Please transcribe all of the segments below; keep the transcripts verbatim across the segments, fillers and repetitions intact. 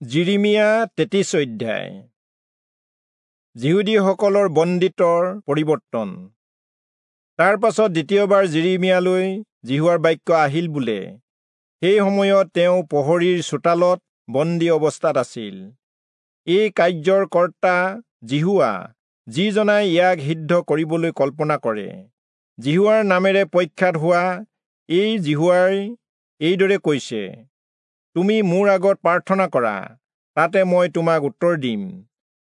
যিৰিমিয়া তেত্ৰিশ অধ্যায়। যিহুদীসকলৰ বন্দীত্বৰ পৰিৱৰ্তন। তাৰ পাছত দ্বিতীয়বাৰ যিৰিমিয়ালৈ যিহোৱাৰ বাক্য আহিল বোলে, সেই সময়ত তেওঁ প্ৰহৰীৰ চোতালত বন্দী অৱস্থাত আছিল। এই কাৰ্যৰ কৰ্তা যিহোৱা, যিজনাই ইয়াক সিদ্ধ কৰিবলৈ কল্পনা কৰে। যিহোৱাৰ নামেৰে প্ৰখ্যাত হোৱা এই যিহোৱাই এইদৰে কৈছে, তুমি মোৰ আগত প্ৰাৰ্থনা কৰা, তাতে মই তোমাক উত্তৰ দিম,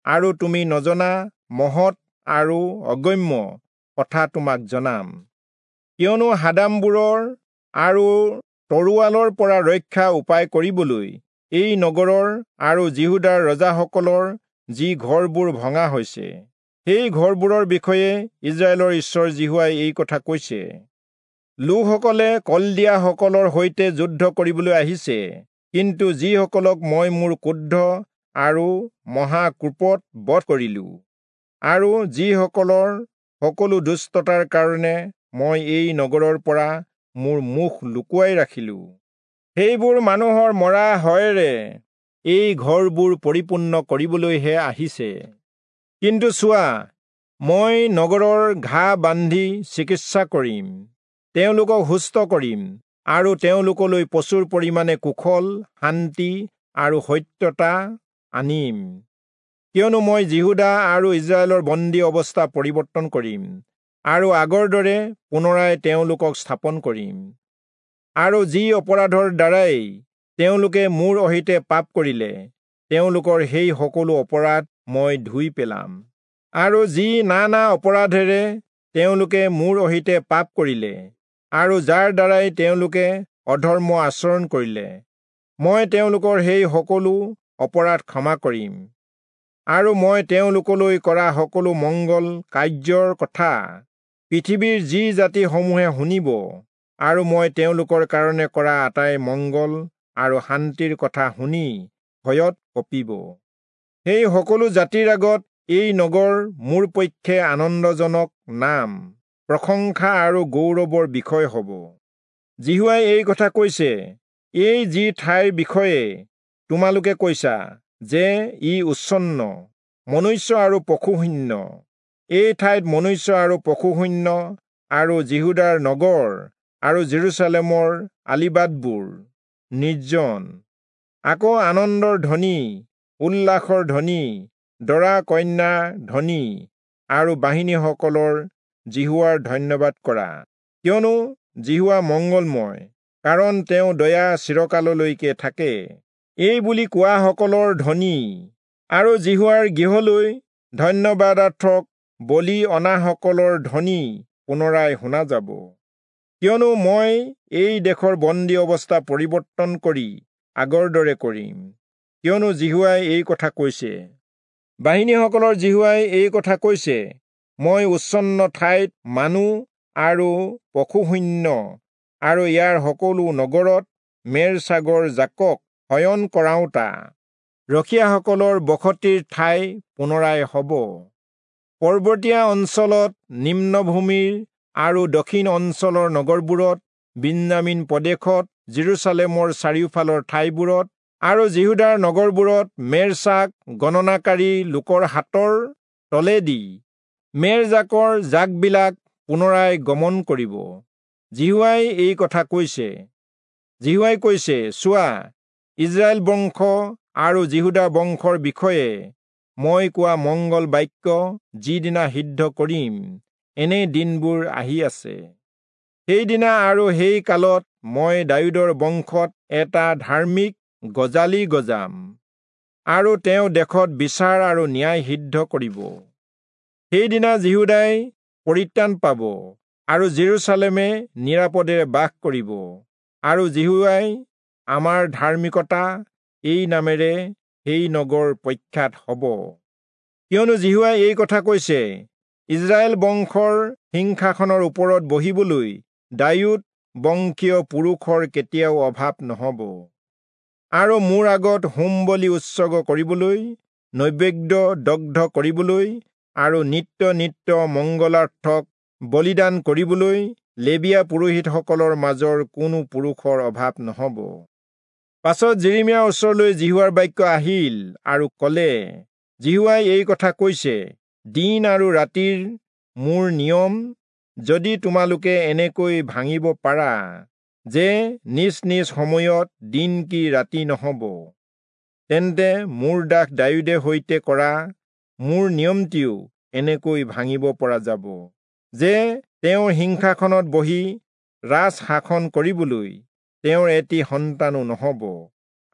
আৰু তুমি নজনা মহৎ আৰু অগম্য কথা তোমাক জনাম। কিয়নো হাদামবোৰৰ আৰু তৰোৱালৰ পৰা ৰক্ষা উপায় কৰিবলৈ এই নগৰৰ আৰু যিহূদাৰ ৰজাসকলৰ যি ঘৰবোৰ ভঙা হৈছে, সেই ঘৰবোৰৰ বিষয়ে ইস্ৰায়েলৰ ঈশ্বৰ যিহোৱাই এই কথা কৈছে, লোকসকলে কলদিয়াসকলৰ সৈতে যুদ্ধ কৰিবলৈ আহিছে, কিন্তু যিসকলক মই মোৰ ক্ৰোধ আৰু মহাকোপত বধ কৰিলো, আৰু যিসকলৰ সকলো দুষ্টতাৰ কাৰণে মই এই নগৰৰ পৰা মোৰ মুখ লুকুৱাই ৰাখিলো, সেইবোৰ মানুহৰ মৰা হয়েৰে এই ঘৰবোৰ পৰিপূৰ্ণ কৰিবলৈহে আহিছে। কিন্তু চোৱা, মই নগৰৰ ঘাঁ বান্ধি চিকিৎসা কৰিম, তেওঁলোকক সুস্থ কৰিম, আৰু তেওঁলোকলৈ প্ৰচুৰ পৰিমাণে কুশল, শান্তি আৰু সত্যতা আনিম। কিয়নো মই যিহূদা আৰু ইস্ৰায়েলৰ বন্দী অৱস্থা পৰিৱৰ্তন কৰিম, আৰু আগৰ দৰে পুনৰাই তেওঁলোকক স্থাপন কৰিম। আৰু যি অপৰাধৰ দ্বাৰাই তেওঁলোকে মোৰ অহিতে পাপ কৰিলে, তেওঁলোকৰ সেই সকলো অপৰাধ মই ধুই পেলাম। আৰু যি নানা অপৰাধেৰে তেওঁলোকে মোৰ অহিতে পাপ কৰিলে, আৰু যাৰ দ্বাৰাই তেওঁলোকে অধৰ্ম আচৰণ কৰিলে, মই তেওঁলোকৰ সেই সকলো অপৰাধ ক্ষমা কৰিম। আৰু মই তেওঁলোকলৈ কৰা সকলো মংগল কাৰ্যৰ কথা পৃথিৱীৰ যি জাতিসমূহে শুনিব, আৰু মই তেওঁলোকৰ কাৰণে কৰা আটাই মংগল আৰু শান্তিৰ কথা শুনি ভয়ত কঁপিব। সেই সকলো জাতিৰ আগত এই নগৰ মোৰ পক্ষে আনন্দজনক নাম, প্ৰশংসা আৰু গৌৰৱৰ বিষয় হ'ব। যিহোৱাই এই কথা কৈছে, এই যি ঠাইৰ বিষয়ে তোমালোকে কৈছা যে ই উচ্ছন্ন, মনুষ্য আৰু পশুশূন্য, এই ঠাইত মনুষ্য আৰু পশুশূন্য আৰু যিহূদাৰ নগৰ আৰু জেৰুচালেমৰ আলিবাটবোৰ নিৰ্জন, আকৌ আনন্দৰ ধ্বনি, উল্লাসৰ ধ্বনি, দৰা কন্যা ধ্বনি আৰু বাহিনীসকলৰ যিহোৱাৰ ধন্যবাদ কৰা। কিয়নো যিহোৱা মংগলময়, কাৰণ তেওঁ দয়া চিৰকাললৈকে থাকে, এই বুলি কোৱাসকলৰ ধ্বনি, আৰু যিহোৱাৰ গৃহলৈ ধন্যবাদাৰ্থক বলি অনাসকলৰ ধ্বনি পুনৰাই শুনা যাব। কিয়নো মই এই দেশৰ বন্দী অৱস্থা পৰিৱৰ্তন কৰি আগৰ দৰে কৰিম। কিয়নো যিহোৱাই এই কথা কৈছে। বাহিনীসকলৰ যিহোৱাই এই কথা কৈছে, মই উচ্ছন্ন ঠাইত মানুহ আৰু পশুশূন্য আৰু ইয়াৰ সকলো নগৰত মেৰ ছাগৰ জাকক শয়ন কৰাওঁতা ৰখীয়াসকলৰ বসতিৰ ঠাই পুনৰাই হ'ব। পৰ্বতীয়া অঞ্চলত, নিম্নভূমিৰ আৰু দক্ষিণ অঞ্চলৰ নগৰবোৰত, বিন্যামীন প্ৰদেশত, জেৰুচালেমৰ চাৰিওফালৰ ঠাইবোৰত আৰু যিহূদাৰ নগৰবোৰত মেৰছাগ গণনাকাৰী লোকৰ হাতৰ তলেদি মেৰজাকৰ জাকবিলাক পুনৰাই গমন কৰিব। যিহোৱাই এই কথা কৈছে। যিহোৱাই কৈছে, চোৱা, ইস্ৰায়েল বংশ আৰু যিহূদা বংশৰ বিষয়ে মই কোৱা মংগল বাক্য যিদিনা সিদ্ধ কৰিম, এনে দিনবোৰ আহি আছে। সেইদিনা আৰু সেই কালত মই দায়ূদৰ বংশত এটা ধাৰ্মিক গজালি গজাম, আৰু তেওঁ দেশত বিচাৰ আৰু ন্যায় সিদ্ধ কৰিব। সেইদিনা যিহূদাই পৰিত্ৰাণ পাব, আৰু জেৰুচালেমে নিৰাপদেৰে বাস কৰিব, আৰু যিহোৱাই আমাৰ ধাৰ্মিকতা এই নামেৰে সেই নগৰ প্ৰখ্যাত হ'ব। কিয়নো যিহোৱাই এই কথা কৈছে, ইস্ৰায়েল বংশৰ সিংহাসনৰ ওপৰত বহিবলৈ দায়ূদ বংশীয় পুৰুষৰ কেতিয়াও অভাৱ নহ'ব, আৰু মোৰ আগত হোম বলি উৎসৰ্গ কৰিবলৈ, নৈবেদ্য দগ্ধ কৰিবলৈ আৰু নিত্য নিত্য মংগলাৰ্থক বলিদান কৰিবলৈ লেবীয়া পুৰোহিতসকলৰ মাজৰ কোনো পুৰুষৰ অভাৱ নহ'ব। পাছত যিৰিমিয়াৰ ওচৰলৈ যিহোৱাৰ বাক্য আহিল আৰু ক'লে, যিহোৱাই এই কথা কৈছে, দিন আৰু ৰাতিৰ মোৰ নিয়ম যদি তোমালোকে এনেকৈ ভাঙিব পাৰা যে নিজ নিজ সময়ত দিন কি ৰাতি নহ'ব, তেন্তে মোৰ দাস দায়ূদে সৈতে কৰা মোৰ নিয়মটিও এনেকৈ ভাঙিব পৰা যাব যে তেওঁৰ সিংহাসনত বহি ৰাজ শাসন কৰিবলৈ তেওঁৰ এটি সন্তানো নহ'ব,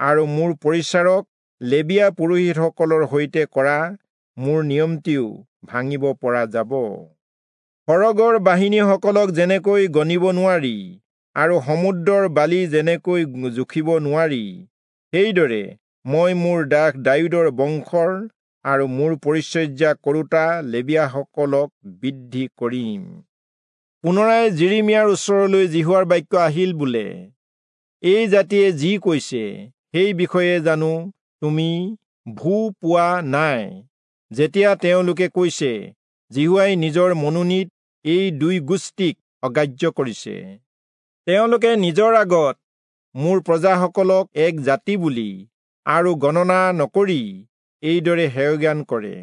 আৰু মোৰ পৰিচাৰক লেবীয়া পুৰোহিতসকলৰ সৈতে কৰা মোৰ নিয়মটিও ভাঙিব পৰা যাব। সৰগৰ বাহিনীসকলক যেনেকৈ গণিব নোৱাৰি আৰু সমুদ্ৰৰ বালি যেনেকৈ জুখিব নোৱাৰি, সেইদৰে মই মোৰ দাস দায়ূদৰ বংশৰ আৰু মোৰ পৰিচৰ্যা কৰোঁতা লেবীয়াসকলক বৃদ্ধি কৰিম। পুনৰাই যিৰিমিয়াৰ ওচৰলৈ যিহোৱাৰ বাক্য আহিল বোলে, এই জাতিয়ে যি কৈছে সেই বিষয়ে জানো তুমি ভূ পোৱা নাই, যেতিয়া তেওঁলোকে কৈছে, যিহোৱাই নিজৰ মনোনীত এই দুই গোষ্ঠীক অগ্ৰাহ্য কৰিছে। তেওঁলোকে নিজৰ আগত মোৰ প্ৰজাসকলক এক জাতি বুলি আৰু গণনা নকৰি এইদৰে হেয়জ্ঞান কৰে।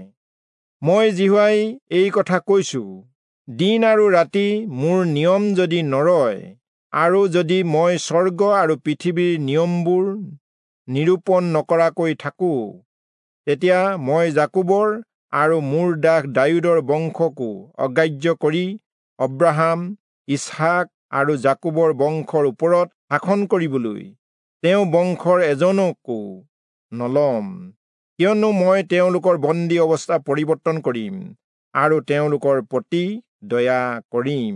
মই যিহোৱাই এই কথা কৈছো, দিন আৰু ৰাতি মোৰ নিয়ম যদি নৰয়, আৰু যদি মই স্বৰ্গ আৰু পৃথিৱীৰ নিয়মবোৰ নিৰূপণ নকৰাকৈ থাকো, তেতিয়া মই যাকোবৰ আৰু মোৰ দাস দায়ূদৰ বংশকো অগ্ৰাহ্য কৰি অব্ৰাহাম, ইচহাক আৰু যাকোবৰ বংশৰ ওপৰত শাসন কৰিবলৈ তেওঁ বংশৰ এজনকো নলম, কিয়নো মই তেওঁলোকৰ বন্দী অৱস্থা পৰিৱৰ্তন কৰিম আৰু তেওঁলোকৰ প্ৰতি দয়া কৰিম।